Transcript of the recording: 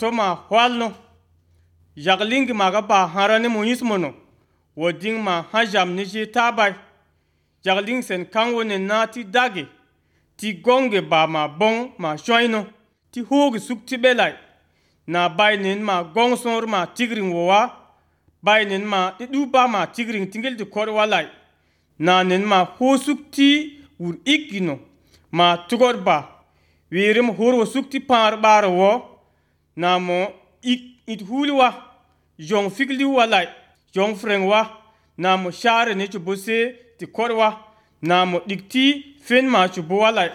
to ma hwalno jagling ma ga ba harane mo yismono woding ma hajam ni je tabai jagling sen kanwo ne na ti dage ti gonge ba ma bon ma shoino ti hogi sukti belai na bainin ma gong sor ma tigring wowa bainin ma ti duba ma tigring tingel ti kor walai na nen ma ho sukti ur ikino ma tugor ba wirim horo sukti par bar wo na mo it hulwa jong fikli walai jong frengwa na mo share ne chubose ti korwa na mo dikti fen ma chubo walai